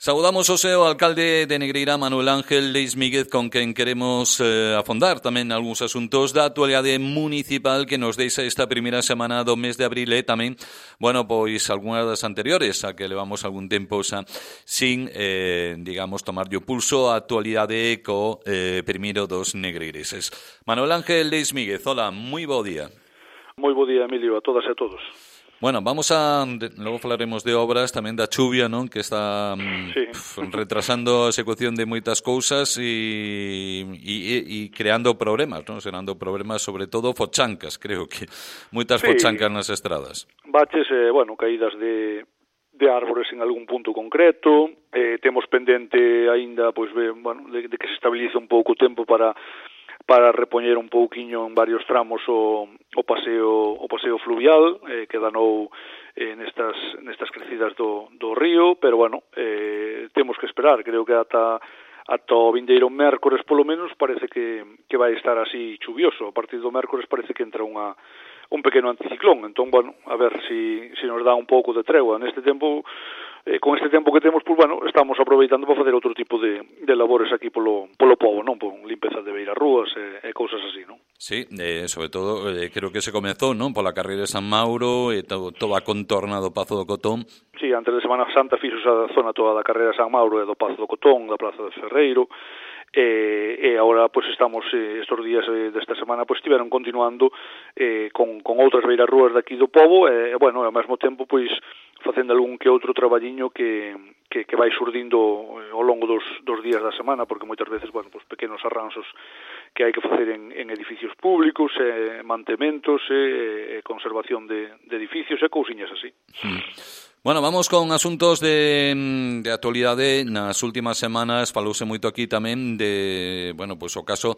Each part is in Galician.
Saudamos o seu alcalde de Negreira, Manuel Ángel Leis Míguez, con quen queremos afondar tamén algúns asuntos da actualidade municipal que nos deixa esta primeira semana do mes de abril e tamén, pois algunhas das anteriores, a que levamos algún tempo sin, tomarlle o pulso a actualidade co primeiro dos negreireses. Manuel Ángel Leis Míguez, hola, moi bo día. Moi bo día, Emilio, a todas e a todos. Logo falaremos de obras, tamén da chuvia, non? Que está retrasando a execución de moitas cousas e creando problemas, non? Serando problemas, sobre todo, fochancas, creo que moitas fochancas nas estradas. Baches, caídas de árbores en algún punto concreto, temos pendente aínda, de que se estabilice un pouco o tempo para repoñer un pouquiño en varios tramos o paseo fluvial que danou nestas crecidas do río, pero temos que esperar, creo que ata o vindeiro mércores polo menos parece que vai estar así chuvioso. A partir do mércores parece que entra un pequeno anticiclón, entón, a ver si nos dá un pouco de tregua neste tempo. Con este tempo que temos, estamos aproveitando para facer outro tipo de labores aquí polo pobo, non? Por limpeza de beirarrúas e cousas así, non? Sí, sobre todo, creo que se comezou, non? Pola carreira de San Mauro e toda a contorna do Pazo do Cotón. Sí, antes de Semana Santa fixos a zona toda da carreira de San Mauro e do Pazo do Cotón, da Plaza de Ferreiro, e agora estamos estes días desta semana estiveron continuando con outras beirarrúas daqui do pobo e ao mesmo tempo facendo algún que outro traballiño que vai surdindo ao longo dos días da semana, porque moitas veces pequenos arranxos que hai que facer en edificios públicos, mantementos, conservación de edificios e cousiñas así. Vamos con asuntos de actualidade. Nas últimas semanas falouse moito aquí tamén de, o caso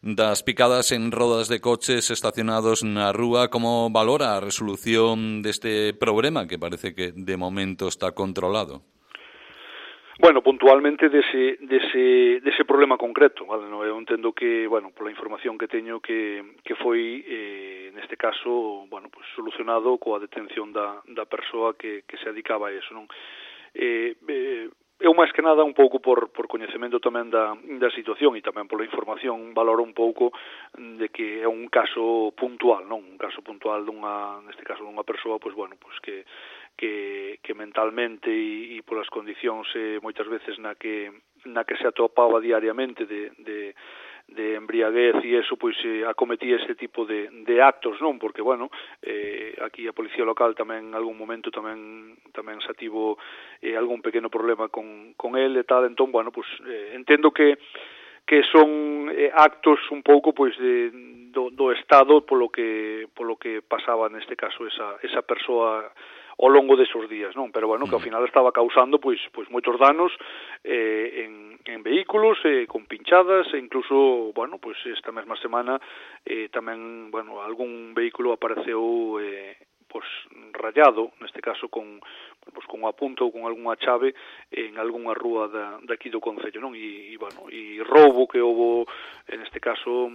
das picadas en rodas de coches estacionados na rúa. Como valora a resolución deste problema que parece que de momento está controlado? Puntualmente dese problema concreto, vale? No, eu entendo que, pola información que teño que foi neste caso, solucionado coa detención da persoa que se dedicaba a eso, non? Eu máis que nada un pouco por coñecemento tamén da situación e tamén pola información valoro un pouco de que é un caso puntual, non? Un caso puntual neste caso dunha persoa, que mentalmente e polas condicións moitas veces na que se atopaba diariamente de embriaguez e eso, acometía este tipo de actos, non? Porque, aquí a Policía Local tamén en algún momento tamén se ativo algún pequeno problema con el e tal, entón, entendo que son actos un pouco do Estado polo que pasaba neste caso esa persoa ao longo desos días, non? Pero que ao final estaba causando moitos danos en vehículos, con pinchadas e incluso, esta mesma semana tamén, algún vehículo apareceu rayado, neste caso con unha punta ou con algunha chave en algunha rúa daqui do concello, non? E roubo que houbo neste caso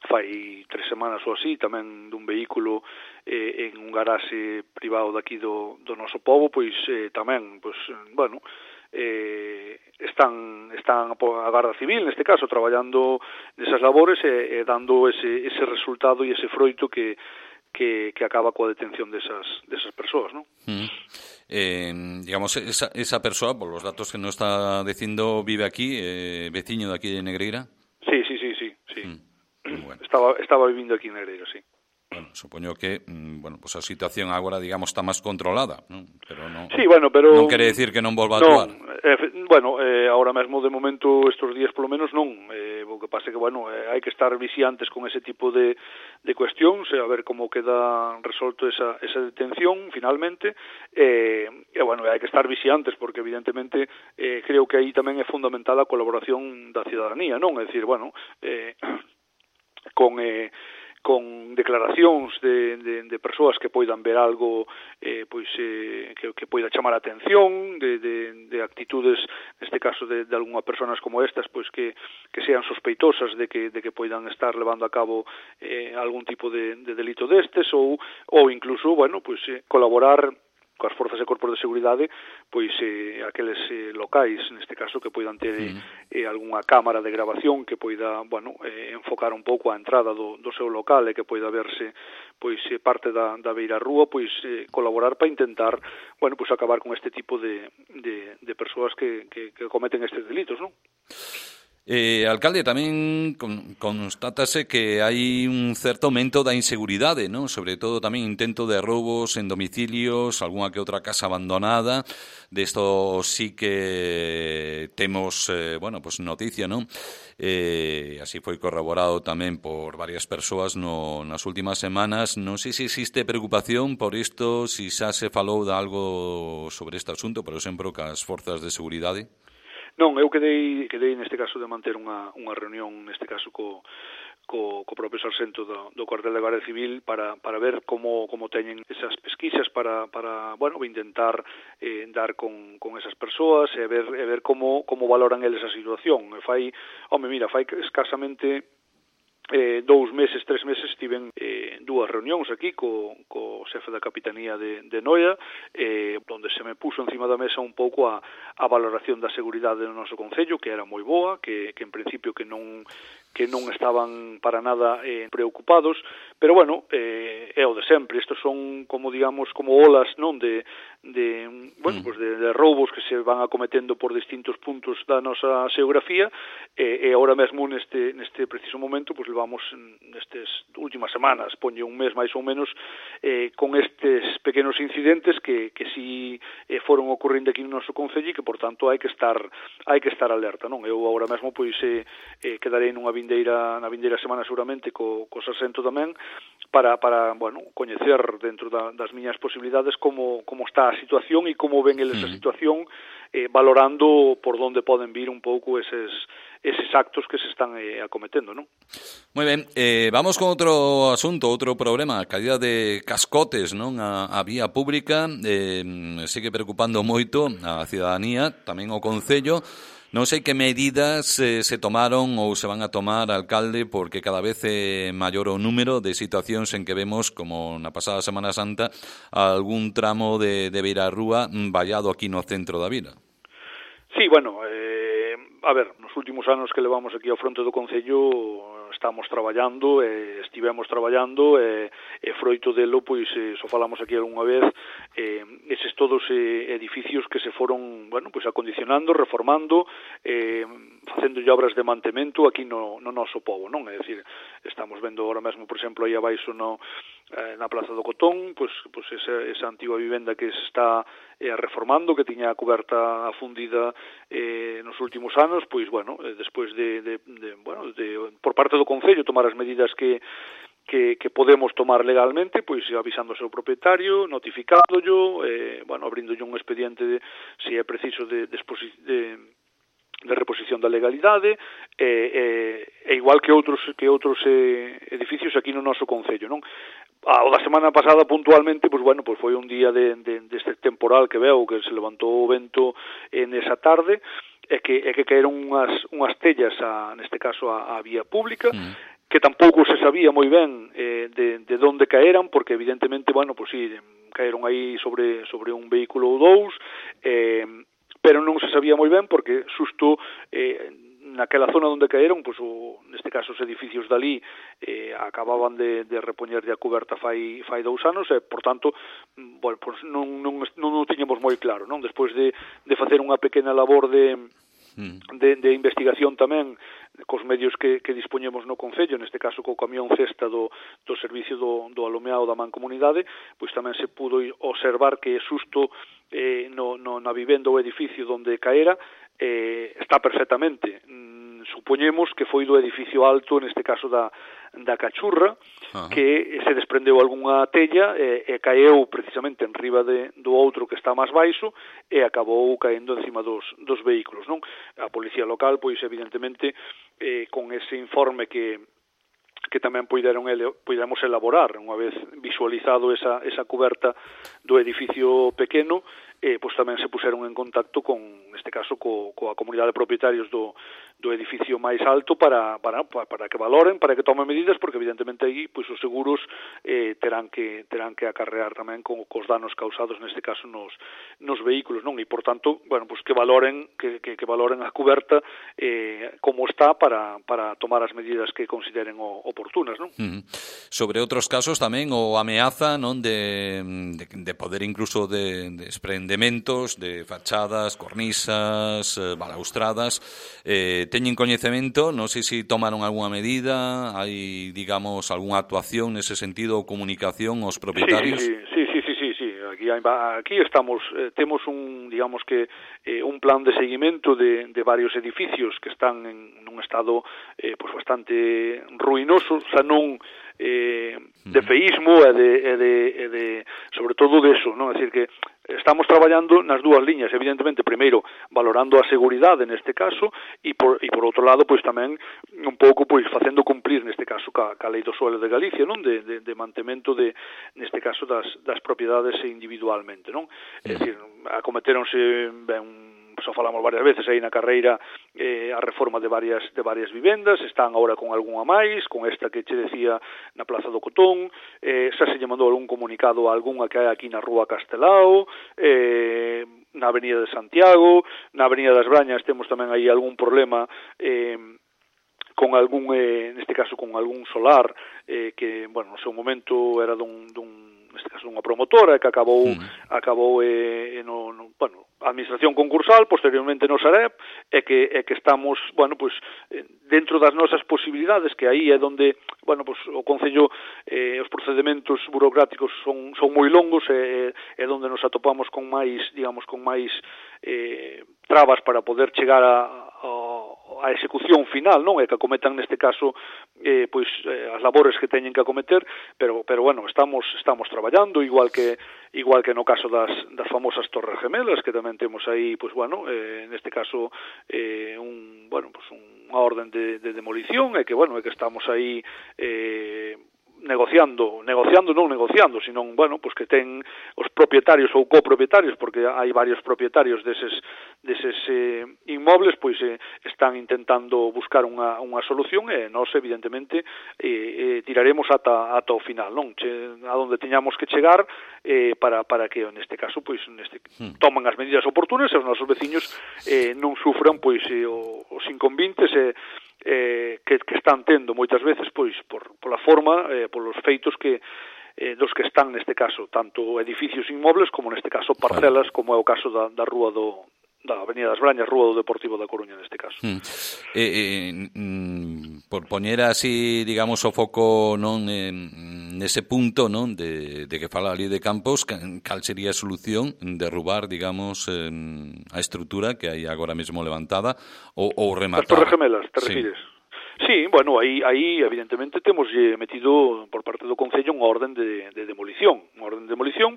fai 3 semanas ou así, tamén dun vehículo en un garaxe privado daqui do noso pobo, tamén, están a Garda Civil, neste caso, traballando nesas labores e dando ese resultado e ese froito que acaba coa detención desas persoas, non? Esa persoa, por los datos que nos está dicindo, vive aquí, veciño de aquí de Negreira? Sí. Bueno. Estaba vivindo aquí en Negreira, sí. Supoño que, a situación agora, está máis controlada, non? Pero non, sí, pero non quere decir que non volva a actuar. Ahora mesmo, de momento, estes días, polo menos, non. O que pasa é que, hai que estar vixiantes con ese tipo de cuestións, a ver como queda resolto esa detención, finalmente, hai que estar vixiantes, porque, evidentemente, creo que aí tamén é fundamental a colaboración da cidadanía, non? É dicir, con declaracións de persoas que poidan ver algo que poida chamar a atención de actitudes, neste caso de algunha personas como estas, que sean sospeitosas de que poidan estar levando a cabo algún tipo de delito destes ou incluso, colaborar coas forzas e corpos de seguridade, pois aqueles locais, neste caso, que poidan ter algunha cámara de grabación que poida, bueno, enfocar un pouco a entrada do seu local e que poida verse pois parte da beira rúa, pois colaborar para intentar, bueno, pois acabar con este tipo de persoas que cometen estes delitos, non? Alcalde, tamén constátase que hai un certo aumento da inseguridade, non? Sobre todo tamén intento de roubos en domicilios, algunha que outra casa abandonada. Desto sí que temos, bueno, pues noticia, non? Así foi corroborado tamén por varias persoas nas últimas semanas. Non sei se existe preocupación por isto, se xa se falou de algo sobre este asunto, por exemplo, cas forzas de seguridade. Non, eu quedei neste caso de manter unha reunión, neste caso co propio sarxento do cuartel de Garda Civil para ver como teñen esas pesquisas para bueno, intentar dar con esas persoas e ver como valoran eles a situación. Fai escasamente 2 meses, 3 meses estiven 2 reunións aquí co xefe da Capitanía de Noia, onde se me puso encima da mesa un pouco a valoración da seguridade do noso concello, que era moi boa, que en principio que non estaban para nada preocupados, pero bueno, é o de sempre. Estos son como digamos como olas, non, de roubos que se van acometendo por distintos puntos da nosa xeografía, e agora mesmo neste preciso momento pues levamos nestes últimas semanas, poñe un mes máis ou menos, con estes pequenos incidentes que si foron ocorrendo aquí no noso concello e que por tanto hai que estar alerta, non? Eu agora mesmo pois quedarei na vindeira semana seguramente co sarxento tamén para bueno, coñecer dentro das miñas posibilidades como está a situación e como ven eles a situación, valorando por onde poden vir un pouco eses actos que se están acometendo, non? Moi ben, vamos con outro asunto, outro problema, a caída de cascotes, non, a vía pública, sigue preocupando moito a cidadanía, tamén o Concello. Non sei que medidas se tomaron ou se van a tomar, alcalde, porque cada vez é maior o número de situacións en que vemos, como na pasada Semana Santa, algún tramo de beirarrúa vallado aquí no centro da vila. Sí, bueno, a ver, nos últimos anos que levamos aquí ao fronte do Concello estivemos traballando e froito delo, pois, só falamos aquí algunha vez, eses todos edificios que se foron, bueno, pois acondicionando, reformando, facendo obras de mantemento aquí no noso pobo, non? É dicir, estamos vendo agora mesmo, por exemplo, aí abaixo na Plaza do Cotón, pois esa antiga vivenda que se está reformando, que tiña a coberta afundida nos últimos anos, pois, bueno, despois por parte do Concello tomar as medidas que podemos tomar legalmente, pois avisando ao seu propietario, notificádollo, bueno, abríndolle un expediente se é preciso de reposición da legalidade, e igual que outros edificios aquí no noso concello, non? O da semana pasada puntualmente, pois bueno, pois foi un día deste temporal que veo, que se levantou o vento nesa tarde, e que caeron unhas tellas neste caso a vía pública, que tampouco se sabía moi ben de onde caeran, porque evidentemente, bueno, pois sí, caeron aí sobre un vehículo ou dous, pero non se sabía moi ben porque xusto naquela zona onde caeron, pois neste caso os edificios dali acababan de repoñerlle a coberta fai 2 anos e, por tanto, bueno, pois non o tiñamos moi claro, non? Despois de facer unha pequena labor de investigación tamén cos medios que dispoñemos no Concello, neste caso co camión cesta do servicio do alumeado da Mancomunidade, pois tamén se pudo observar que xusto na vivenda ou edificio onde caera está perfectamente. Supoñemos que foi do edificio alto, neste caso da Cachurra, que se desprendeu algunha tella e caeu precisamente en riba do outro que está máis baixo e acabou caendo encima dos vehículos, non? A policía local, pois evidentemente, con ese informe que tamén poidamos elaborar unha vez visualizado esa coberta do edificio pequeno, pois tamén se puseron en contacto con neste caso coa comunidade de propietarios do edificio máis alto para que valoren, para que tomen medidas, porque evidentemente aí pois os seguros terán que acarrear tamén cos danos causados neste caso nos vehículos, non? E por tanto, bueno, pois que valoren a cuberta como está para tomar as medidas que consideren oportunas, non? Sobre outros casos tamén o ameaza, non, de poder incluso de desprendementos de fachadas, cornisas, balaustradas, teñen coñecemento, non sei se tomaron algunha medida, hai, digamos, algunha actuación nese sentido ou comunicación aos propietarios? Sí. Aquí estamos, temos digamos que un plan de seguimento de varios edificios que están en un estado pues bastante ruinoso, xa non de feísmo e de sobre todo de eso, non? É dicir que estamos traballando nas dúas liñas, evidentemente, primeiro valorando a seguridade neste caso e por outro lado, pois tamén un pouco pois facendo cumplir neste caso ca lei do suelo de Galicia, non? De mantemento neste caso das propiedades individualmente, non? É dicir, acometeronse só falamos varias veces aí na carreira a reforma de varias vivendas, están agora con algunha máis, con esta que che decía na Plaza do Cotón, xa se lle mandou algún comunicado a algunha que hai aquí na Rúa Castelao, na Avenida de Santiago, na Avenida das Brañas temos tamén aí algún problema con algún, neste caso con algún solar que, bueno, no seu momento era neste caso dunha promotora que acabou bueno, a administración concursal, posteriormente no Sareb, e que estamos, bueno, pues dentro das nosas posibilidades, que aí é onde, bueno, pues o Concello os procedementos burocráticos son moi longos, é onde nos atopamos con máis, digamos, con máis trabas para poder chegar a execución final, non? É que acometan neste caso pois as labores que teñen que acometer, pero bueno, estamos traballando igual que no caso das famosas Torres Gemelas, que tamén temos aí, pois bueno, neste caso unha orden de demolición, e que bueno, é que estamos aí negociando, senón, bueno, pues que ten os propietarios ou copropietarios, porque hai varios propietarios deses inmobles, pois están intentando buscar unha solución, e nós evidentemente tiraremos ata o final, non? A donde teñamos que chegar para que neste caso pois tomen as medidas oportunas e os nosos veciños non sufran pois os inconvintes que están tendo moitas veces pois pola forma, polos feitos dos que están neste caso, tanto edificios inmobles como neste caso parcelas, como é o caso da rúa da Avenida das Brañas, Rúa do Deportivo da Coruña neste caso. Por poñer así, digamos, o foco non nese punto, non, de que fala ali de Campos, cal sería a solución? Derrubar, digamos, a estrutura que hai agora mesmo levantada ou rematar? As Torres Gemelas, te refires? Sí, bueno, aí evidentemente temos metido por parte do Concello unha orden de demolición,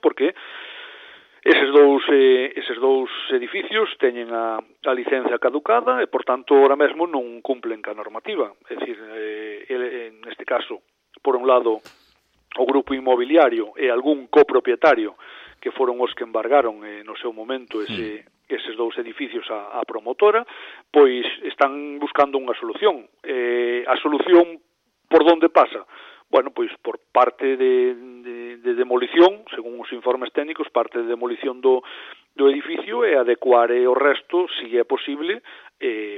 porque eses dous edificios teñen a licencia caducada e, por tanto, ahora mesmo non cumplen ca normativa. É dicir, neste caso, por un lado, o grupo inmobiliario e algún copropietario que foron os que embargaron no seu momento eses dous edificios a promotora, pois están buscando unha solución. A solución por onde pasa? Bueno, pois por parte de demolición, según os informes técnicos, parte de demolición do edificio e adecuar o resto, se é posible,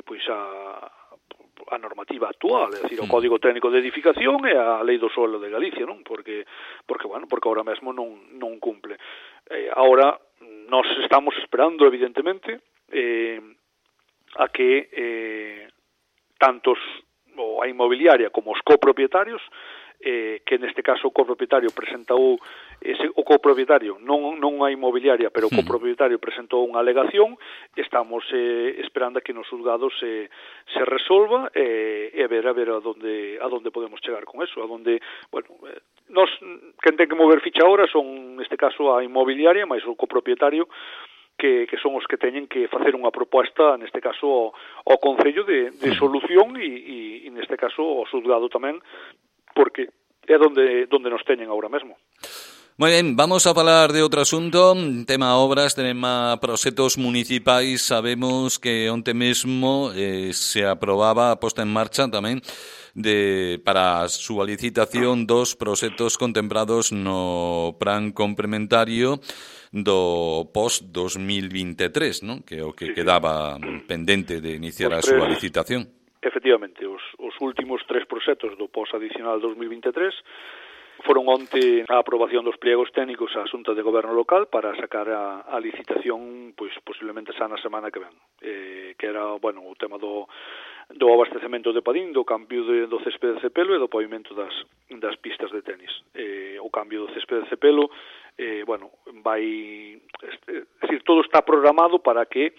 pois a normativa actual, é dicir, o Código Técnico de Edificación e a Lei do Suelo de Galicia, non? Porque agora mesmo non cumple. Agora, nós estamos esperando, evidentemente, a que tantos a inmobiliaria como os copropietarios, que neste caso o copropietario presentou o copropietario, non a inmobiliaria, pero o copropietario presentou unha alegación. Estamos esperando a que nos xulgados se resolva e ver a donde podemos chegar con eso, a donde, bueno, nós quen ten que mover ficha ahora son neste caso a inmobiliaria, máis o copropietario, que son os que teñen que facer unha proposta, neste caso ao Concello de solución e neste caso ao xulgado tamén, porque é donde nos teñen agora mesmo. Moi ben, vamos a falar de outro asunto, tema obras, tema proxectos municipais. Sabemos que onte mesmo se aprobaba a posta en marcha tamén para a súa licitación dos proxectos contemplados no plan complementario do post-2023, non? Que é o que quedaba pendente de iniciar a súa licitación. Efectivamente, os últimos 3 proxectos do post-adicional 2023 foron onte a aprobación dos pliegos técnicos á Xunta de Goberno Local para sacar a licitación, pois posiblemente xa na semana que ven, que era, bueno, o tema do abastecemento de Padín, do cambio do céspede de Cepelo e do pavimento das pistas de tenis. O cambio do céspede de Cepelo, bueno, vai, decir, todo está programado para que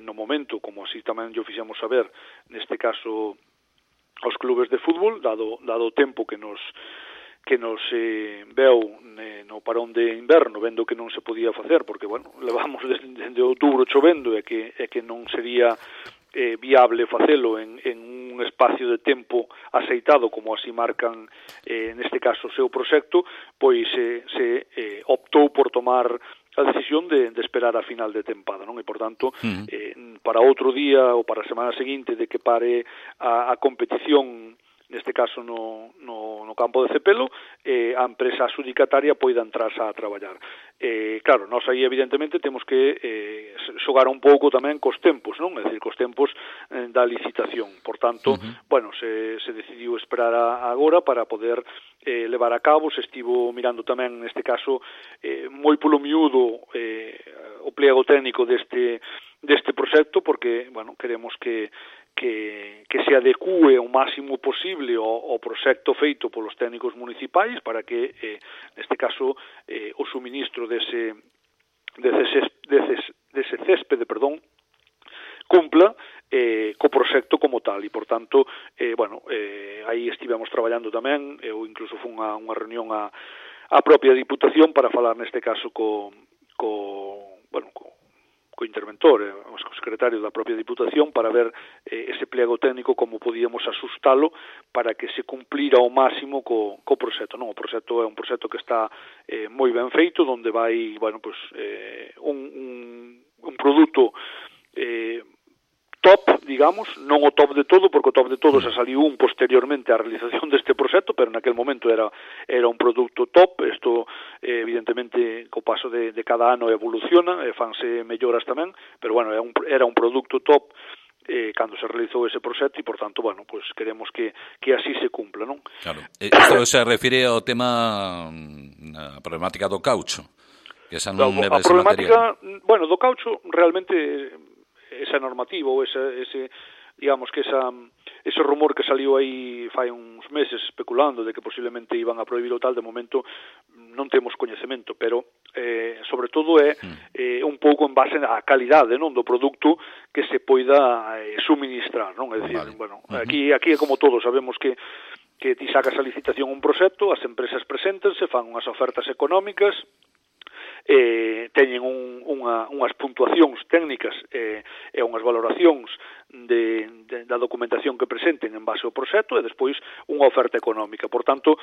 no momento, como así tamén yo fixemos saber, neste caso aos clubes de fútbol, dado o tempo que nos veu no parón de inverno, vendo que non se podía facer, porque, bueno, levamos desde outubro chovendo e que non sería viable facelo en un espacio de tempo aceitado, como así marcan neste caso o seu proxecto, pois se optou por tomar a decisión de esperar a final de tempada, non? E, por tanto, para outro día ou para a semana seguinte de que pare a competición, neste caso no campo de Cepelo, a empresa adxudicataria poida entrarse a traballar. Claro, nós aí evidentemente temos que xogar un pouco tamén cos tempos, non? É dicir, cos tempos da licitación. Por tanto, bueno, se decidiu esperar agora para poder levar a cabo. Se estivo mirando tamén, neste caso, moi polo miúdo o pliego técnico deste proxecto, porque, bueno, queremos que se adecue o máximo posible ao proxecto feito polos técnicos municipais para que, neste caso, o suministro dese céspede, cumpla co proxecto como tal. E, por tanto, bueno, aí estivemos traballando tamén, eu incluso fun a unha reunión a propia Diputación para falar neste caso co interventor, o secretario da propia Diputación, para ver ese pliego técnico como podíamos asustalo para que se cumplira ao máximo co proxecto. Non, o proxecto é un proxecto que está moi ben feito, onde vai, bueno, pues, un produto top, digamos, non o top de todo, porque o top de todo se saliu posteriormente á realización deste proxecto, pero naquel momento era un produto top. Isto, evidentemente, co paso de cada ano evoluciona, fanse melloras tamén, pero, bueno, era un produto top cando se realizou ese proxecto e, por tanto, bueno, pues queremos que así se cumpla, non? Claro. Isto se refire ao tema, a problemática do caucho, que esa non leva ese material. Bueno, do caucho, realmente, esa normativa ou ese digamos que ese rumor que saliu aí fai uns meses especulando de que posiblemente iban a prohibir o tal, de momento non temos coñecemento, pero sobre todo é un pouco en base á calidade, non, do produto que se poida suministrar, non? É dicir, bueno, aquí é como todo, sabemos que ti sacas a licitación un proxecto, as empresas preséntense, fan unhas ofertas económicas, teñen unhas puntuacións técnicas e unhas valoracións da documentación que presenten en base ao proxecto e despois unha oferta económica. Por tanto,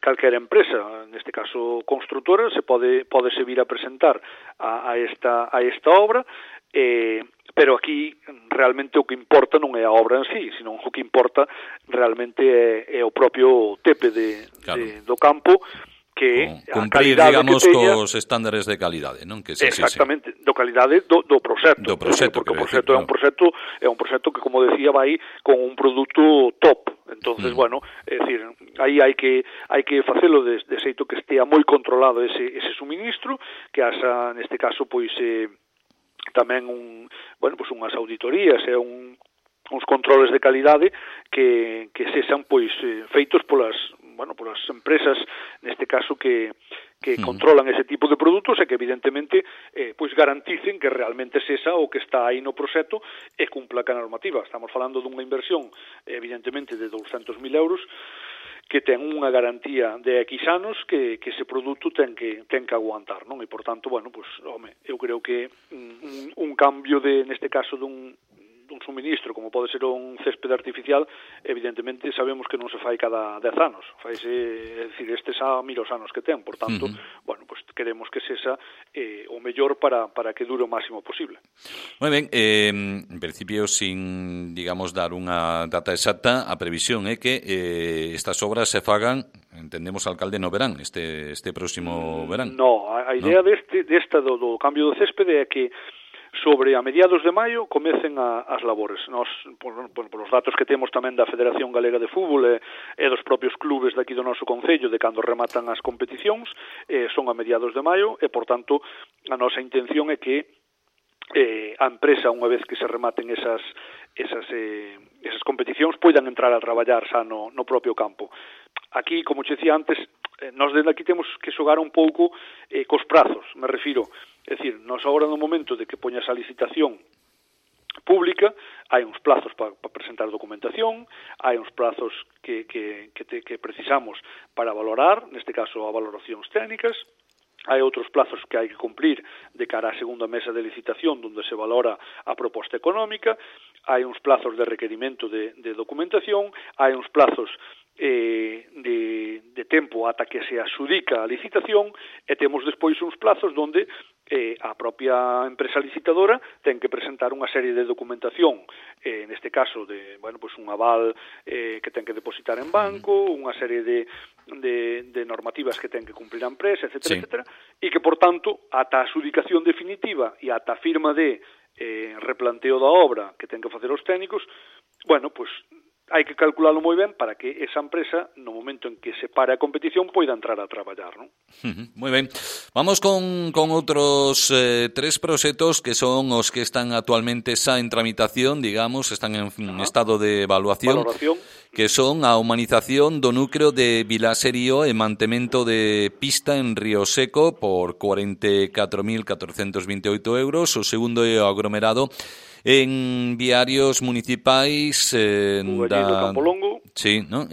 calquera empresa, neste caso construtora, se pode vir a presentar a esta obra, pero aquí realmente o que importa non é a obra en sí, sino o que importa realmente é o propio tepe do campo, que cumprir, digamos, cos estándares de calidade, non? Que exactamente, do calidade do proxecto, porque o proxecto é un proxecto que, como decía, vai con un produto top. Entonces, bueno, é dicir, aí hai que facelo de xeito que estea moi controlado ese suministro, que haxa, neste caso, pois tamén unhas auditorías e uns controles de calidade que sexan pois feitos polas empresas, neste caso, que controlan ese tipo de produtos e que, evidentemente, pois garanticen que realmente sexa o que está aí no proxecto e cumpla ca normativa. Estamos falando dunha inversión, evidentemente, de 200.000 euros, que ten unha garantía de X anos que ese produto ten que aguantar, non? E, por tanto, bueno, pues, eu creo que un cambio neste caso dun suministro, como pode ser un céspede artificial, evidentemente sabemos que non se fai cada 10 anos, faise, é dicir, estes a miros anos que ten, por tanto, bueno, pues queremos que sexa o mellor para que dure o máximo posible. Moi ben, en principio, sin, digamos, dar unha data exacta, a previsión é que estas obras se fagan, entendemos, alcalde, no verán, este próximo verán. No, a idea desta do cambio do céspede é que sobre a mediados de maio comecen as labores. Nos, por os datos que temos tamén da Federación Galega de Fútbol e dos propios clubes daqui do noso concello de cando rematan as competicións, son a mediados de maio e, por tanto, a nosa intención é que a empresa, unha vez que se rematen esas competicións, poidan entrar a traballar xa no propio campo. Aquí, como che dicía antes, nós desde aquí temos que xogar un pouco cos prazos, me refiro. É dicir, nós agora no momento de que poñas a licitación pública, hai uns plazos para presentar documentación, hai uns plazos que precisamos para valorar, neste caso a valoracións técnicas, hai outros plazos que hai que cumplir de cara á segunda mesa de licitación onde se valora a proposta económica, hai uns plazos de requerimento de documentación, hai uns plazos de tempo ata que se adxudica a licitación e temos despois uns plazos onde a propia empresa licitadora ten que presentar unha serie de documentación, neste caso de, bueno, pues un aval que ten que depositar en banco, unha serie de normativas que ten que cumplir a empresa, etcétera, etcétera, e que, por tanto, ata a adxudicación definitiva e ata a firma de replanteo da obra que ten que facer os técnicos, bueno, pues hai que calculalo moi ben para que esa empresa, no momento en que se pare a competición, poida entrar a traballar, non? Moi ben. Vamos con outros tres proxectos que son os que están actualmente xa en tramitación, digamos, están en estado de evaluación, que son a humanización do núcleo de Vilaserío e mantemento de pista en Río Seco por 44.428 euros, o segundo é o aglomerado en viarios municipais Bugallido, Campolongo. Sí, ¿no?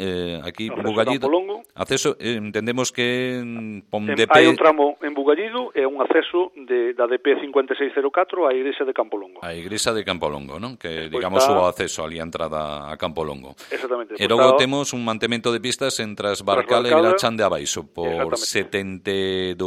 Aquí Bugallido. Acceso, entendemos que DP... hai un tramo en Bugallido e un acceso da DP 5604 á igrexa de Campolongo. A igrexa de Campolongo, ¿no? Que digamos o acceso ali a entrada a Campolongo. Exactamente. E logo temos un mantemento de pistas entre as Barcal e Vilachán de Abaixo por 72.232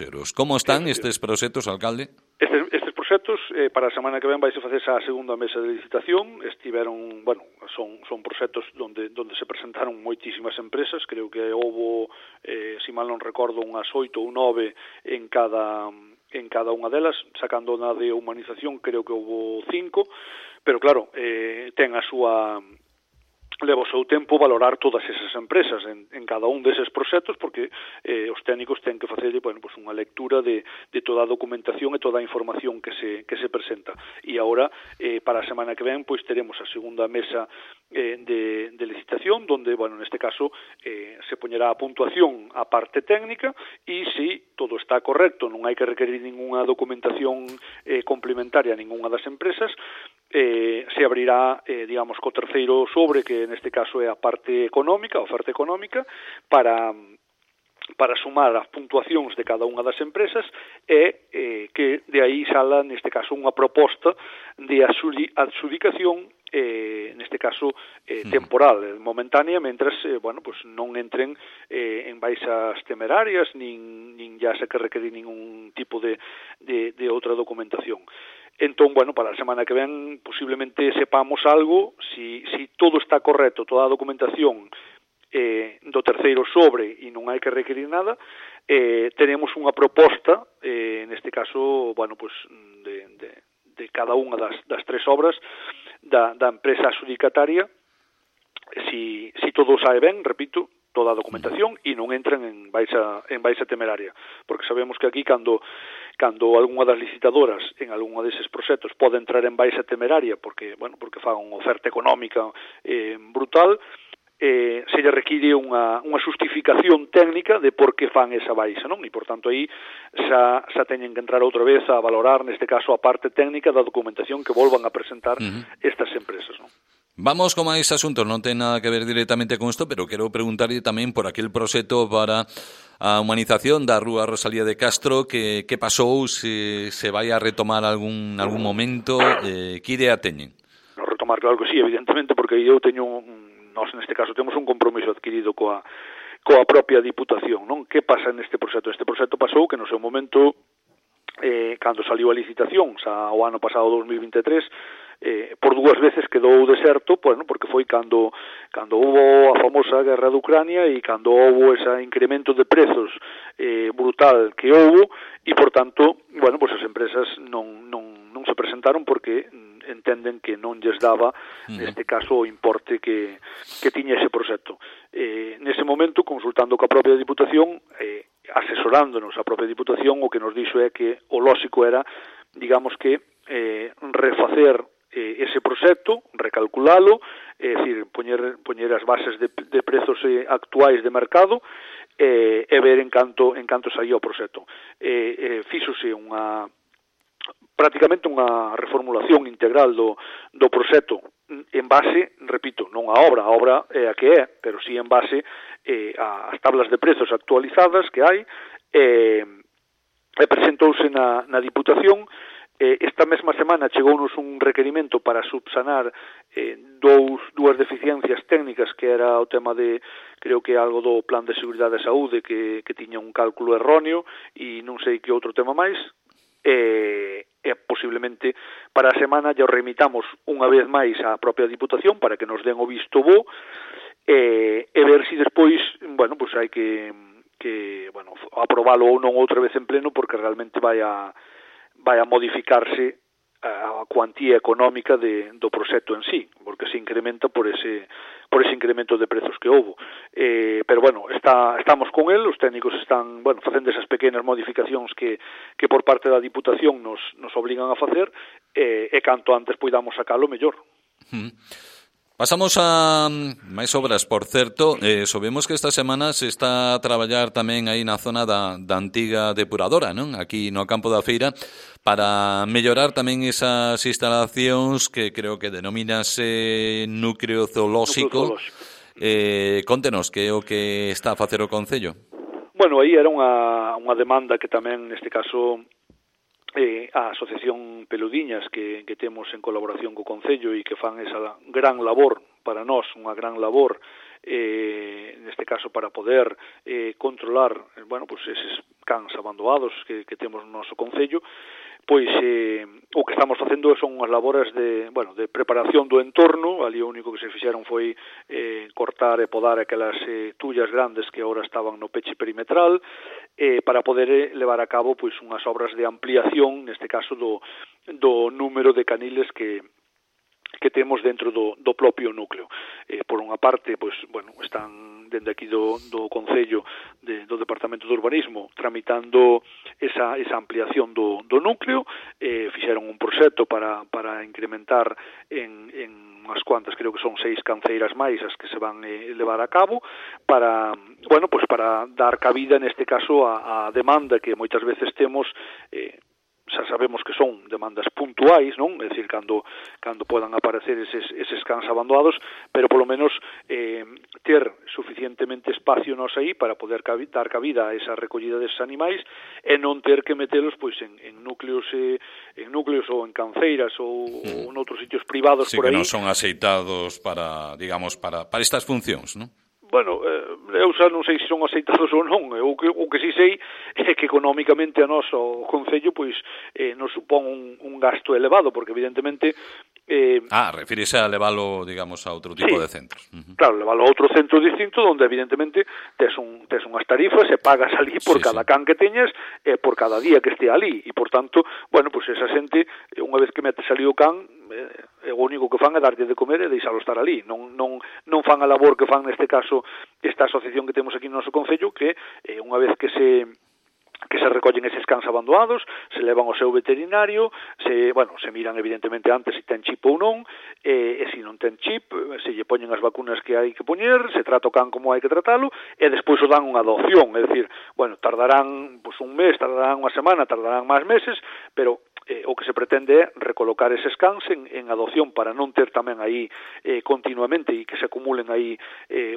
euros. Como están estes proxectos, alcalde? Estes proxectos, para a semana que ven vai se facer a segunda mesa de licitación. Estiveron, bueno, son proxectos onde se presentaron moitísimas empresas, creo que houbo, se mal non recordo, unhas 8 ou 9 en cada unha delas, sacando na de humanización creo que houbo 5, pero claro, ten a súa... leva o seu tempo valorar todas esas empresas en cada un deses proxectos, porque os técnicos ten que facer, bueno, pues unha lectura de toda a documentación e toda a información que se presenta. E agora, para a semana que ven, pois teremos a segunda mesa de licitación, donde, bueno, neste caso se poñerá a puntuación a parte técnica e se todo está correcto, non hai que requerir ninguna documentación complementaria a ninguna das empresas, se abrirá, digamos, co terceiro sobre, que neste caso é a parte económica, a oferta económica, para sumar as puntuacións de cada unha das empresas e que de aí sala, neste caso, unha proposta de adxudicación, neste caso temporal, momentánea, mentras bueno, pues non entren en baixas temerarias, nin ya se que requerir ningún tipo de outra documentación. Entón, bueno, para a semana que ven posiblemente sepamos algo, si todo está correcto, toda a documentación do terceiro sobre e non hai que requerir nada, tenemos unha proposta, neste caso, bueno, pues de cada unha das tres obras da empresa adxudicataria, si todo sae ben, repito, toda a documentación e non entran en baixa temeraria, porque sabemos que aquí cando algunha das licitadoras en algunha deses proxectos pode entrar en baixa temeraria porque fan unha oferta económica brutal, se lle require unha xustificación técnica de por que fan esa baixa, non? E, por tanto, aí xa teñen que entrar outra vez a valorar, neste caso, a parte técnica da documentación que volvan a presentar estas empresas, non? Vamos con máis asuntos, non ten nada que ver directamente con isto, pero quero preguntarlle tamén por aquel proxecto para a humanización da Rúa Rosalía de Castro, que pasou, se vai a retomar algún momento, que idea teñen? No retomar, claro que sí, evidentemente, porque eu teño, nós neste caso temos un compromiso adquirido coa propia Diputación, non? Que pasa neste proxecto? Este proxecto pasou que no seu momento, cando saliu a licitación, xa o ano pasado 2023, por dúas veces quedou deserto, bueno, porque foi cando hubo a famosa guerra de Ucrania e cando houbo ese incremento de prezos brutal que houbo e, por tanto, bueno, pues as empresas non se presentaron porque entenden que non lles daba, neste caso, o importe que tiña ese proxecto. Nese momento, consultando coa propia Diputación, asesorándonos a propia Diputación, o que nos dixo é que o lóxico era, digamos que, refacer ese proxecto, recalculalo, é dicir, poñer as bases de prezos actuais de mercado e ver en canto saía o proxecto. Fíxose prácticamente unha reformulación integral do proxecto en base, repito, non a obra é a que é, pero sí en base ás tablas de prezos actualizadas que hai, e presentouse na Diputación. Esta mesma semana chegounos un requerimento para subsanar dúas deficiencias técnicas, que era o tema de, creo que algo do Plan de Seguridade de Saúde que tiña un cálculo erróneo e non sei que outro tema máis, e posiblemente para a semana ya o remitamos unha vez máis á propia Diputación para que nos den o visto bo e ver se despois, bueno, pues hai que bueno, aprobalo ou non outra vez en pleno, porque realmente vai a modificarse a cuantía económica do proxecto en sí, porque se incrementa por ese incremento de prezos que houbo. Pero bueno, estamos con el, os técnicos están, bueno, facendo esas pequenas modificacións que por parte da Diputación nos obligan a facer, e canto antes poidamos sacalo, mellor. Pasamos a máis obras, por certo. Sabemos que esta semana se está a traballar tamén aí na zona da antiga depuradora, non? Aquí no campo da feira, para mellorar tamén esas instalacións que creo que denomínase núcleo zoolóxico. Contenos que é o que está a facer o Concello. Bueno, aí era unha demanda que tamén, neste caso, a Asociación Peludiñas que temos en colaboración co Concello e que fan esa gran labor para nós, unha gran labor neste caso para poder controlar, bueno, pues eses cans abandonados que temos no noso Concello, pois o que estamos facendo son unhas labores de preparación do entorno. Ali o único que se fixeron foi cortar e podar aquelas tullas grandes que agora estaban no peche perimetral, para poder levar a cabo pois unhas obras de ampliación, neste caso do número de caniles que temos dentro do propio núcleo. Por unha parte, pois, bueno, están dende aquí do Concello, do Departamento de Urbanismo, tramitando esa ampliación do núcleo, fixeron un proxecto para incrementar en unhas cuantas, creo que son 6 canceiras máis as que se van levar a cabo, para dar cabida, neste caso, a demanda que moitas veces temos, xa sabemos que son demandas puntuais, non? É dicir, cando podan aparecer eses cans abandonados, pero polo menos ter suficientemente espacio nos aí para poder dar cabida a esa recollida deses animais e non ter que metelos pois en núcleos ou en canceiras ou noutros sitios privados por aí. Sí, que non son aceitados para, digamos, para estas funcións, non? Bueno, eu xa non sei se son aceitados ou non. O que si sei é que económicamente a nós, o Concello, pois nos supón un gasto elevado, porque evidentemente... refírese a leválo, digamos, a outro tipo de centros. Claro, leválo a outro centro distinto, onde evidentemente tes unhas tarifas e pagas ali por cada can que teñas e por cada día que este ali. E, por tanto, bueno, pois esa xente, unha vez que metes ali o can, o único que fan é darlle de comer e deixalo estar ali. Non fan a labor que fan, neste caso, esta asociación que temos aquí no noso Concello, que unha vez que se recollen eses cans abandonados, se levan ao seu veterinario, se miran evidentemente antes se ten chip ou non, e se non ten chip, se lle poñen as vacunas que hai que poñer, se trata o can como hai que tratalo, e despois o dan unha adopción, é dicir, tardarán un mes, tardarán unha semana, tardarán máis meses, pero o que se pretende é recolocar eses cans en adopción para non ter tamén aí continuamente e que se acumulen aí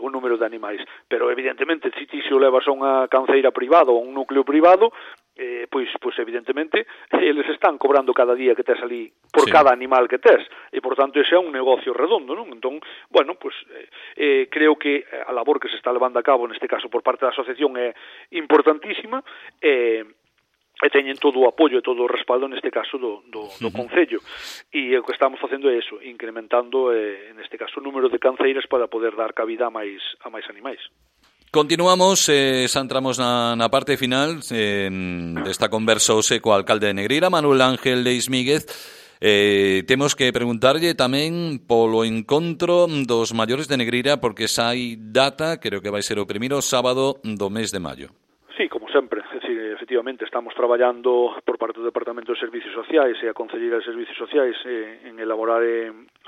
un número de animais. Pero evidentemente, se ti o levas a unha canceira privada ou a un núcleo privado, pois evidentemente eles están cobrando cada día que tes ali por cada animal que tes, e por tanto ese é un negocio redondo, non? Entón, bueno, pois creo que a labor que se está levando a cabo neste caso por parte da asociación é importantísima, e teñen todo o apoio e todo o respaldo neste caso do Concello, e o que estamos facendo é iso, incrementando neste caso o número de canceiras para poder dar cabida a máis animais. Continuamos, xa entramos na parte final desta conversa hoxe co alcalde de Negreira, Manuel Ángel Leismíguez. Temos que preguntarlle tamén polo encontro dos maiores de Negreira, porque xa hai data, creo que vai ser o primeiro sábado do mes de maio. Sí, como sempre, é dicir, efectivamente estamos traballando por parte do Departamento de Servicios Sociais e a Concelleira de Servicios Sociais en elaborar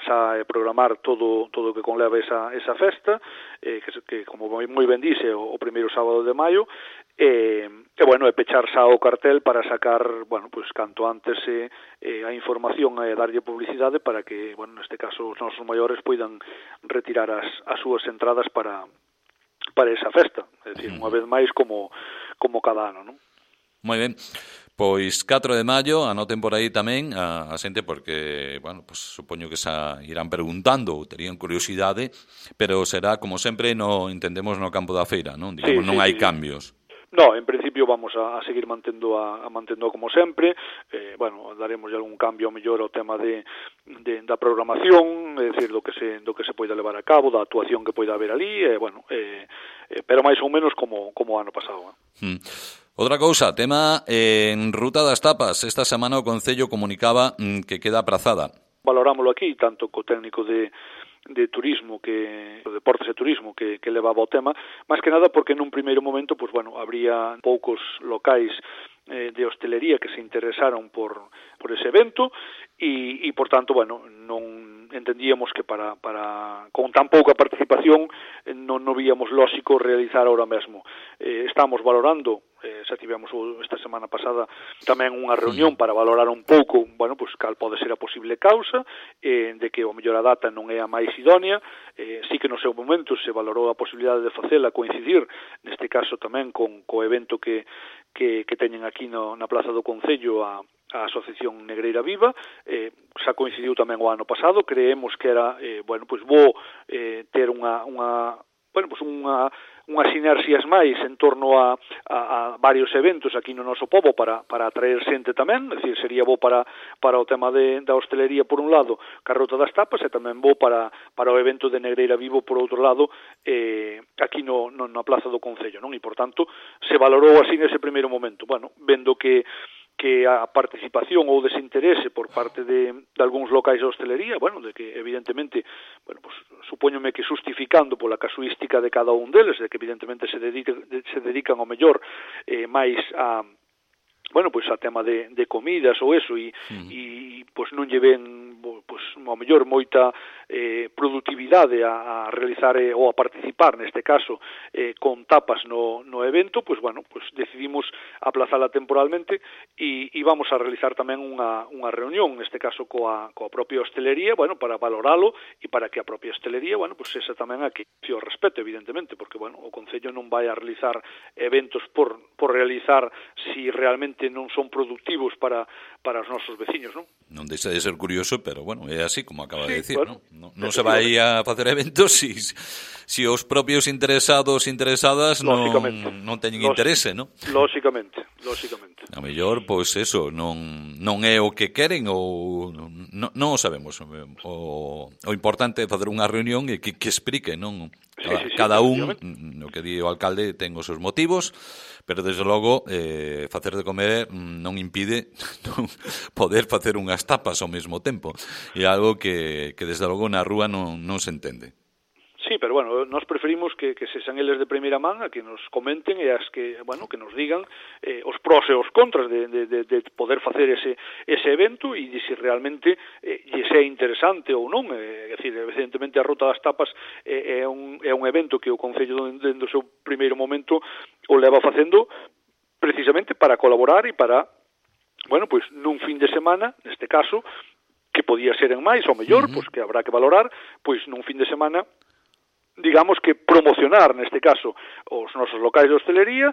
xa programar todo o que conleva esa festa, que como moi ben dice, o primeiro sábado de maio, e bueno, é pechar xa o cartel para sacar, bueno, pues canto antes a información e darlle publicidade para que, bueno, neste caso os nosos maiores poidan retirar as súas entradas para esa festa, é dicir, unha vez máis como cada ano, non? Moi ben. Pois 4 de maio, anoten por aí tamén a xente, porque, bueno, pues supoño que xa irán preguntando ou terían curiosidade, pero será, como sempre, entendemos no campo da feira, non? Digamos, non hai cambios. No, en principio vamos a seguir mantendo como sempre. Bueno, daremos algún cambio mellor ao tema da programación, é dicir, do que se poida levar a cabo, da actuación que poida haber ali, bueno, pero máis ou menos como ano pasado. Outra cousa, tema en Ruta das Tapas. Esta semana o Concello comunicaba que queda aprazada. Valorámoslo aquí, tanto co técnico de turismo, de deportes e turismo que levaba o tema, máis que nada porque nun primeiro momento, pues bueno, habría poucos locais de hostelería que se interesaron por ese evento e por tanto, bueno, non entendíamos que para con tan pouca participación non víamos lóxico realizar ahora mesmo. Estamos valorando, xa tivemos esta semana pasada tamén unha reunión para valorar un pouco, bueno, pues cal pode ser a posible causa de que o mellor a data non é a máis idónea. Sí que no seu momento se valorou a posibilidade de facela coincidir, neste caso tamén co evento que teñen aquí na Plaza do Concello a Asociación Negreira Viva, xa coincidiu tamén o ano pasado. Creemos que era, bueno, pues bo ter unha sinerxias máis en torno a varios eventos aquí no noso pobo para atraer xente tamén, é dicir, sería bo para o tema da hostelería por un lado, ca Ruta das Tapas, e tamén bo para o evento de Negreira Vivo por outro lado, aquí na Plaza do Concello, non? E por tanto se valorou así nese primeiro momento. Bueno, vendo que a participación ou desinterese por parte de algúns locais de hostelería, bueno, de que evidentemente, bueno, pues supóñome que justificando pola casuística de cada un deles, de que evidentemente se dedican ao mellor máis a, bueno, pues a tema de comidas ou eso, e pues non lle ven pues ao mellor moita productividade a realizar ou a participar neste caso con tapas no evento, pues bueno, pues decidimos aplazala temporalmente e vamos a realizar tamén unha reunión, neste caso coa propia hostelería, bueno, para valoralo e para que a propia hostelería, bueno, pues esa tamén aquí o respeto, evidentemente, porque bueno, o Concello non vai a realizar eventos por realizar si realmente non son productivos para os nosos veciños, non? Non deixa de ser curioso, pero bueno, é así como acaba de decir, bueno, non se vai a facer eventos si os propios interesados interesadas non teñen interese, non? Lóxicamente. A mellor, pois eso, non é o que queren ou non o sabemos. O importante é facer unha reunión e que explique, non? Cada un, no que di o alcalde, ten os seus motivos, pero desde logo facer de comer non impide poder facer unhas tapas ao mesmo tempo. É algo que desde logo na rúa non se entende. Sí, pero bueno, nós preferimos que sexan eles de primeira man a que nos comenten e as que, bueno, que nos digan os pros e os contras de poder facer ese evento e de se realmente lle é interesante ou non. É dicir, evidentemente a Ruta das Tapas é un evento que o Concello dende o seu primeiro momento o leva facendo precisamente para colaborar e para bueno, pois nun fin de semana, neste caso, que podía ser en máis, ou mellor, pois que habrá que valorar, pois nun fin de semana, digamos que promocionar, neste caso, os nosos locais de hostelería,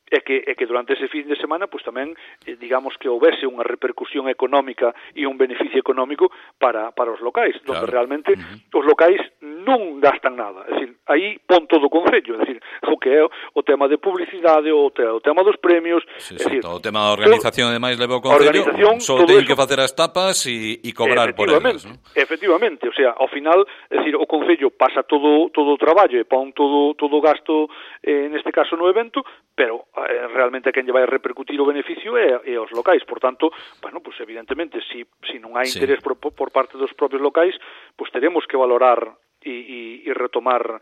e que durante ese fin de semana pois tamén digamos que houvese unha repercusión económica e un beneficio económico para os locais, claro, donde realmente os locais non gastan nada, é dicir, aí pon todo o concello, é dicir, o que é o tema de publicidade, o tema dos premios, sí, é dicir, todo o tema da organización ademais leva o concello, só ten que facer as tapas e cobrar por elas, ¿no? Efectivamente, o sea, ao final, é dicir, o concello pasa todo o traballo e pon todo o gasto neste caso no evento, pero realmente a quen lle vai repercutir o beneficio é aos locais. Por tanto, bueno, pues evidentemente, si non hai interés por parte dos propios locais, pues teremos que valorar e retomar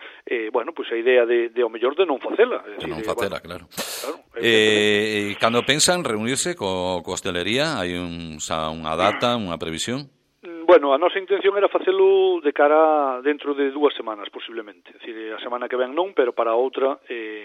bueno, pues a idea de ao mellor de non facela. De non facela, bueno, claro. Cando pensan reunirse co hostelería, hai unha data, unha previsión? Bueno, a nosa intención era facelo de cara dentro de 2 semanas, posiblemente. É dicir, a semana que ven non, pero para outra,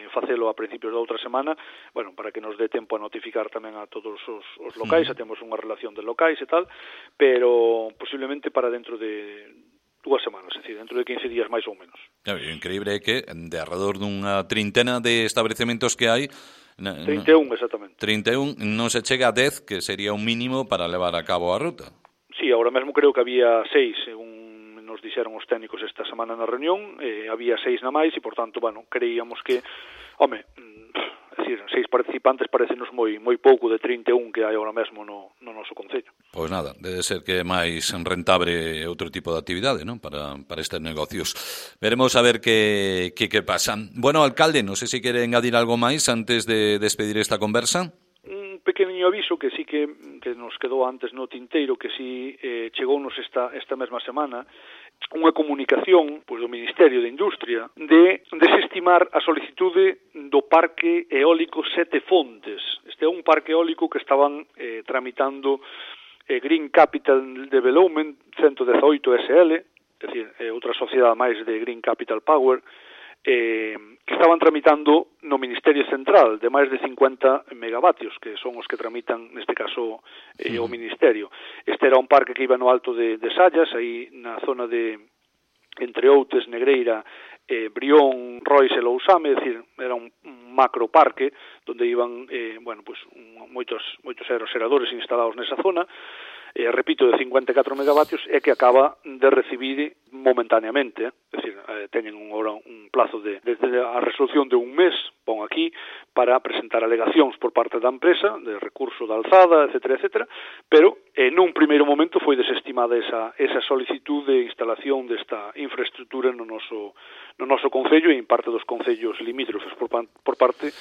facelo a principios da outra semana, bueno, para que nos dé tempo a notificar tamén a todos os locais, temos unha relación de locais e tal, pero posiblemente para dentro de 2 semanas, é dicir, dentro de 15 días máis ou menos. Claro, o increíble é que de alrededor dunha trintena de establecementos que hai, 31, exactamente. 31, non se chega a 10, que sería un mínimo para levar a cabo a ruta. Sí, agora mesmo creo que había 6, según nos dixeron os técnicos esta semana na reunión, había 6 na máis e, por tanto, bueno, creíamos que, home, é dicir, 6 participantes parecenos moi pouco de 31 que hai agora mesmo no noso concello. Pois nada, debe ser que é máis rentable outro tipo de actividade, non? Para estes negocios. Veremos a ver que pasa. Bueno, alcalde, non sei se quere engadir algo máis antes de despedir esta conversa. Pequeniño aviso que sí que nos quedou antes no tinteiro, que sí chegounos esta mesma semana unha comunicación pois, do Ministerio de Industria de desestimar a solicitude do Parque Eólico Sete Fontes. Este é un parque eólico que estaban tramitando Green Capital Development 118 SL, é dicir, outra sociedade máis de Green Capital Power, que estaban tramitando no Ministerio Central de máis de 50 megavatios, que son os que tramitan, neste caso, o Ministerio. Este era un parque que iba no alto de Sallas, aí na zona de entre Outes, Negreira, Brión, Rois e Lousame, é dicir, era un macroparque onde iban, bueno, pues, moitos aeroxeradores instalados nesa zona, repito, de 54 megavatios, é que acaba de recibir momentáneamente, é dicir, teñen un plazo desde a resolución de un mes, pon aquí, para presentar alegacións por parte da empresa, de recurso de alzada, etcétera, pero nun primeiro momento foi desestimada esa solicitud de instalación desta infraestructura no noso concello e en parte dos concellos limítrofes por parte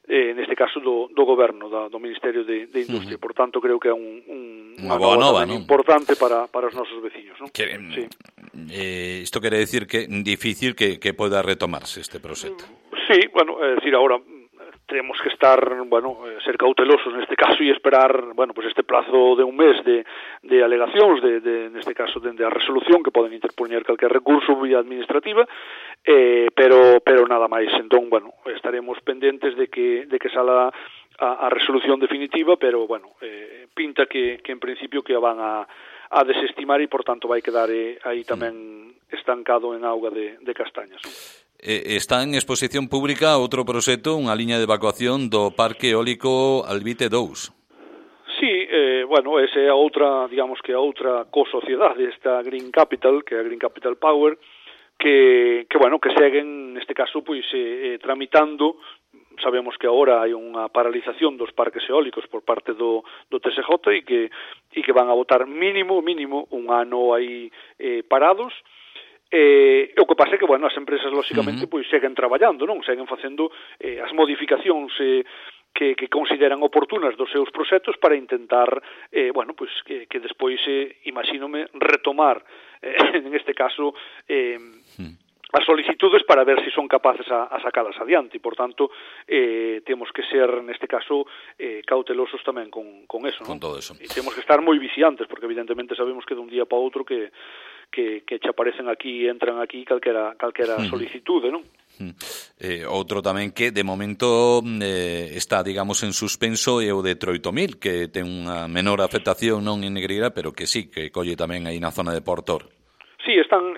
neste caso do goberno, do Ministerio de Industria. Por tanto, creo que é unha boa nova, importante para os nosos veciños, non? Sí. Isto quere decir que é difícil que poda retomarse este proxecto. Sí, bueno, é dicir, agora temos que estar, bueno, ser cautelosos neste caso e esperar, bueno, pues este plazo de un mes de alegacións, neste caso, dende a resolución que poden interpoñer calquer recurso vía administrativa, pero nada máis. Entón, bueno, estaremos pendentes de que sala a resolución definitiva, pero, bueno, pinta que en principio que a van a desestimar e, por tanto, vai quedar aí tamén estancado en auga de castañas. Está en exposición pública outro proxecto, unha liña de evacuación do Parque Eólico Albite 2. Sí, bueno, esa é a outra, digamos que a outra co-sociedade, esta Green Capital, que é a Green Capital Power, que bueno, que seguen, neste caso, pois, tramitando. Sabemos que agora hai unha paralización dos parques eólicos por parte do TSJ e que van a botar mínimo un ano aí parados. O que pasa é que, bueno, as empresas, lóxicamente, pois seguen traballando, non? Seguen facendo as modificacións que consideran oportunas dos seus proxectos para intentar, bueno, pois que despois, imagínome, retomar, en este caso, as solicitudes para ver se son capaces a sacalas adiante. E, por tanto, temos que ser, neste caso, cautelosos tamén con eso, non? Con todo eso. E temos que estar moi vixiantes, porque evidentemente sabemos que dun día para outro que che aparecen aquí, entran aquí calquera solicitude, non? Outro tamén que de momento está, digamos, en suspenso é o de Troitomil, que ten unha menor afectación non en Negreira, pero que sí, que colle tamén aí na zona de Portor. Sí, están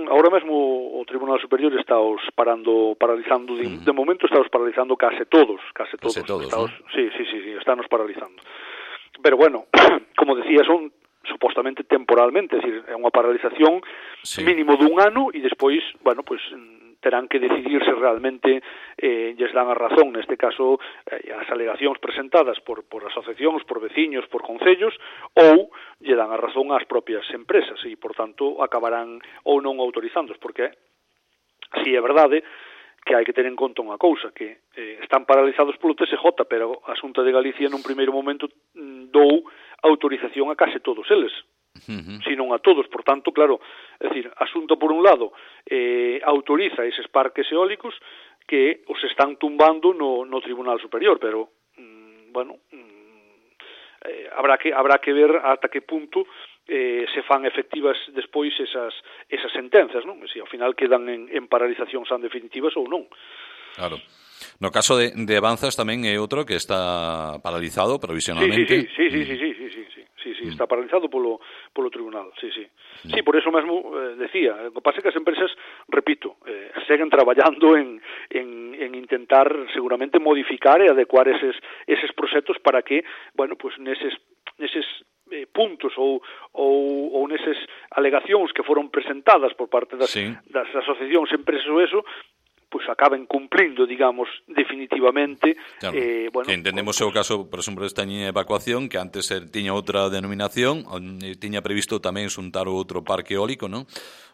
ahora mesmo o Tribunal Superior está paralizando, de momento está paralizando case todos. ¿no? Sí, estános paralizando. Pero bueno, como decía, son supostamente temporalmente, es decir, é unha paralización mínimo dun ano e despois, bueno, pues terán que decidir se realmente lles dan a razón, neste caso as alegacións presentadas por asociacións, por veciños, por concellos, ou lle dan a razón ás propias empresas e, por tanto, acabarán ou non autorizándoos, porque si é verdade que hai que ter en conta unha cousa, que están paralizados polo TSJ, pero a Xunta de Galicia nun primeiro momento dou autorización a case todos eles, sino a todos. Por tanto, claro, é dicir, a Xunta, por un lado, autoriza eses parques eólicos que os están tumbando no Tribunal Superior, pero, bueno, habrá que ver ata que punto se fan efectivas despois esas sentencias, non? Se ao final quedan en paralizacións tan definitivas ou non. Claro. No caso de Avanzas tamén é outro que está paralizado provisionalmente. Sí, está paralizado polo tribunal, sí. Sí, por eso mesmo decía, o que pasa é que as empresas, repito, seguen traballando en intentar seguramente modificar e adecuar eses proxectos para que, bueno, pues neses puntos ou neses alegacións que foron presentadas por parte das asociacións, empresas ou eso, pues acaben cumplindo, digamos, definitivamente. Claro, bueno, que entendemos o caso, por exemplo, desta liña de evacuación, que antes tiña outra denominación, tiña previsto tamén xuntar outro parque eólico, non?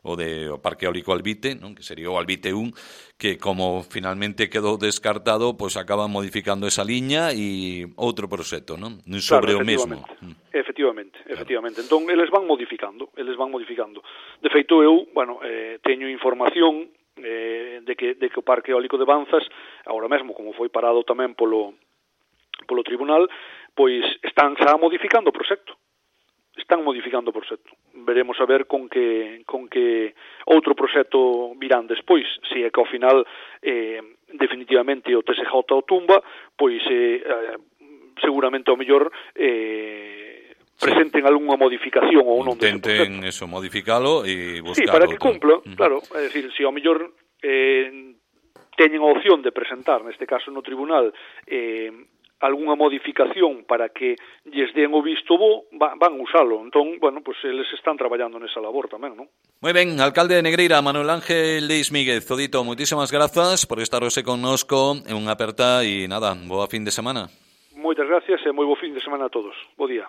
O parque eólico Albite, non? Que sería o Albite 1, que como finalmente quedou descartado, pues acaban modificando esa liña e outro proxecto, non? Sobre o mesmo. Efectivamente. Entón, eles van modificando. De feito, eu, bueno, teño información de que o parque eólico de Banzas, agora mesmo, como foi parado tamén polo tribunal, pois están xa modificando o proxecto. Veremos a ver con que outro proxecto virán despois. Se é que ao final definitivamente o TSJ o tumba, pois seguramente ao mellor presenten algunha modificación ou non. Intenten eso, modificalo e buscar. Sí, para que cumpla, claro, é dicir, se ao mellor teñen a opción de presentar, neste caso no tribunal, algunha modificación para que lles den o visto bo, van usalo. Entón, bueno, pues eles están traballando nesa labor tamén, non? Moi ben, alcalde de Negreira, Manuel Ángel Leis Míguez. Odito, moitísimas grazas por estar hoxe connosco en unha aperta e nada, boa fin de semana. Moitas gracias e moi bo fin de semana a todos. Bo día.